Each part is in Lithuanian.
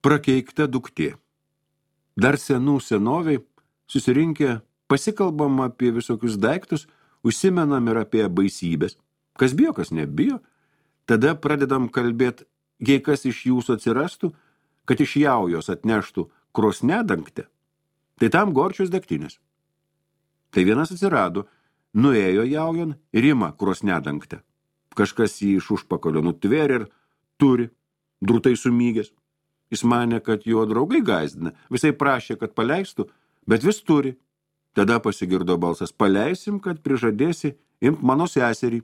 Prakeikta duktė. Dar senų senoviai susirinkę pasikalbam apie visokius daiktus, užsimenam ir apie baisybės. Kas bijo, kas nebijo. Tada pradedam kalbėti, jei kas iš jūsų atsirastų, kad iš jaujos atneštų krosnedangtę, tai tam gorčius degtinės. Tai vienas atsirado, nuėjo jaujon ir ima krosnedangtę. Kažkas jį iš užpakalio nutvėrė ir turi, drūtai sumygęs. Jis manė, kad jo draugai gąsdina, visai prašė, kad paleistų, bet vis turi. Tada pasigirdo balsas, paleisim, kad prižadėsi imt mano seserį.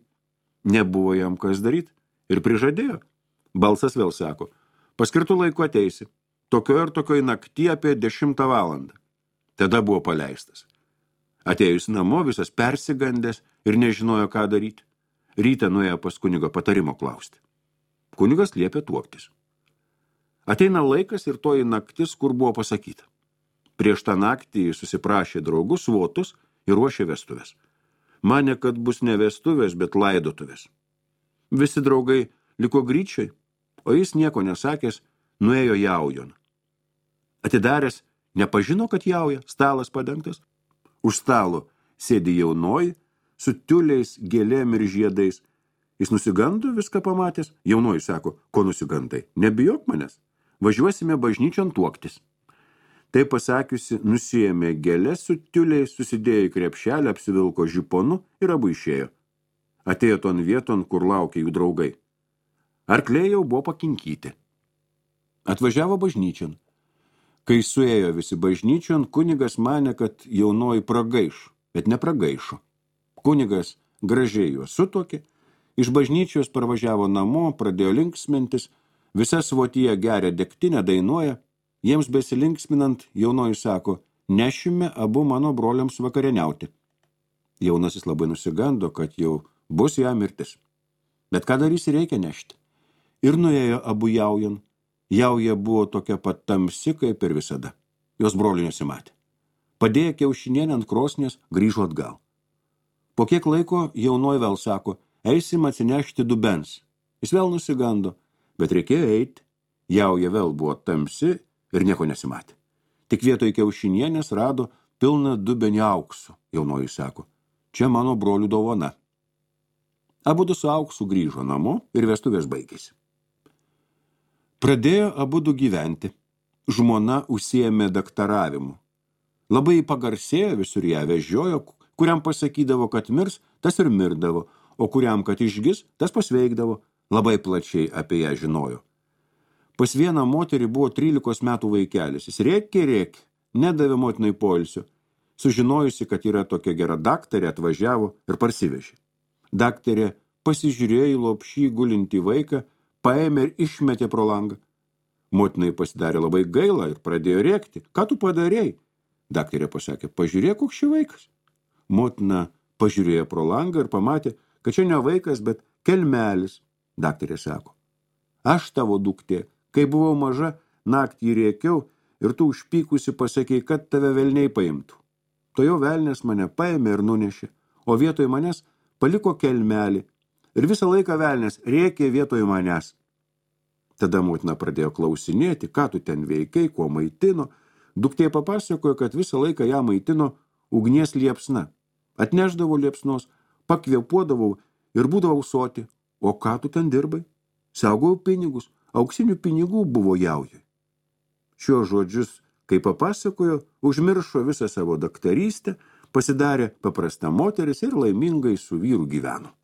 Nebuvo jam kas daryti ir prižadėjo. Balsas vėl sako, paskirtų laiku ateisi, tokio ir tokio naktį apie 10 valandą. Tada buvo paleistas. Atėjus namo visas persigandęs ir nežinojo, ką daryti. Rytą nuėjo pas kunigo patarimo klausti. Kunigas liepė tuoktis. Ateina laikas ir toji naktis, kur buvo pasakyta. Prieš tą naktį susiprašė draugus svotus ir ruošė vestuvės. Manė, kad bus ne vestuvės, bet laidotuvės. Visi draugai liko gryčiai, o jis nieko nesakęs, nuėjo jaujon. Atidaręs, nepažino, kad jauja, stalas padengtas. Už stalo sėdi jaunoji, su tiuliais, gėlėm ir žiedais. Jis nusigando viską pamatęs. Jaunoji sako, ko nusigandai? Nebijok manęs. Važiuosime bažnyčion tuoktis. Tai pasakiusi, nusiėmė gėlės su tiuliais, susidėjo į krepšelę, apsivilko žiponu ir abu išėjo. Atėjo ton vieton, kur laukė jų draugai. Arkliai jau buvo pakinkyti. Atvažiavo bažnyčion. Kai suėjo visi bažnyčion, kunigas manė, kad jaunoji pragaiš, bet nepragaišo. Kunigas gražiai juos sutuokė, iš bažnyčios parvažiavo namo, pradėjo linksmintis, visa svotyje geria degtinę, dainuoja. Jiems besilinksminant, jaunoji sako, nešime abu mano broliams vakarieniauti. Jaunasis labai nusigando, kad jau bus jam mirtis. Bet ką darysi, reikia nešti. Ir nuėjo abu jaujon. Jauja buvo tokia pat tamsi, kaip ir visada. Jos brolių nesimatė. Padėjo kiaušinienę ant krosnės, grįžo atgal. Po kiek laiko jaunoji vėl sako, eisim atsinešti dubens. Jis vėl nusigando, bet reikėjo eiti. Jauja vėl buvo tamsi ir nieko nesimatė. Tik vietoj kiaušinienės rado pilną dubenį auksu. Jaunoji sako, čia mano brolių dovana. Abudu su auksu grįžo namo ir vestuvės baigėsi. Pradėjo abudu gyventi. Žmona užsiėmė daktaravimu. Labai pagarsėjo, visur ją vežiojo, kuriam pasakydavo, kad mirs, tas ir mirdavo, o kuriam, kad išgis, tas pasveikdavo. Labai plačiai apie ją žinojo. Pas vieną moterį buvo 13 metų vaikelis. Jis rėkė, nedavė motinai poilsio. Sužinojusi, kad yra tokia gera daktarė, atvažiavo ir parsivežė. Daktarė pasižiūrėjo į lopšį gulintį vaiką, paėmė ir išmetė pro langą. Motinai pasidarė labai gaila ir pradėjo rėkti. Ką tu padarėjai? Daktarė pasakė, pažiūrėk, koks šis vaikas. Motina pažiūrėjo pro langą ir pamatė, kad čia ne vaikas, bet kelmelis. Daktarė sako, aš tavo duktė. Kai buvau maža, naktį rėkiau ir tu užpykusi pasakei, kad tave velniai paimtų. To jau velnės mane paėmė ir nunešė, o vietoj manęs paliko kelmelį ir visą laiką velnės rėkė vietoj manęs. Tada motina pradėjo klausinėti, ką tu ten veikai, kuo maitino. Duktė papasakojo, kad visą laiką ją maitino ugnies liepsna. Atnešdavo liepsnos, pakvėpuodavau ir būdavau soti. O ką tu ten dirbai? Saugojau pinigus. Auksinių pinigų buvo jaujai. Šiuos žodžius, kai papasakojo, užmiršo visą savo daktarystę, pasidarė paprasta moteris ir laimingai su vyru gyveno.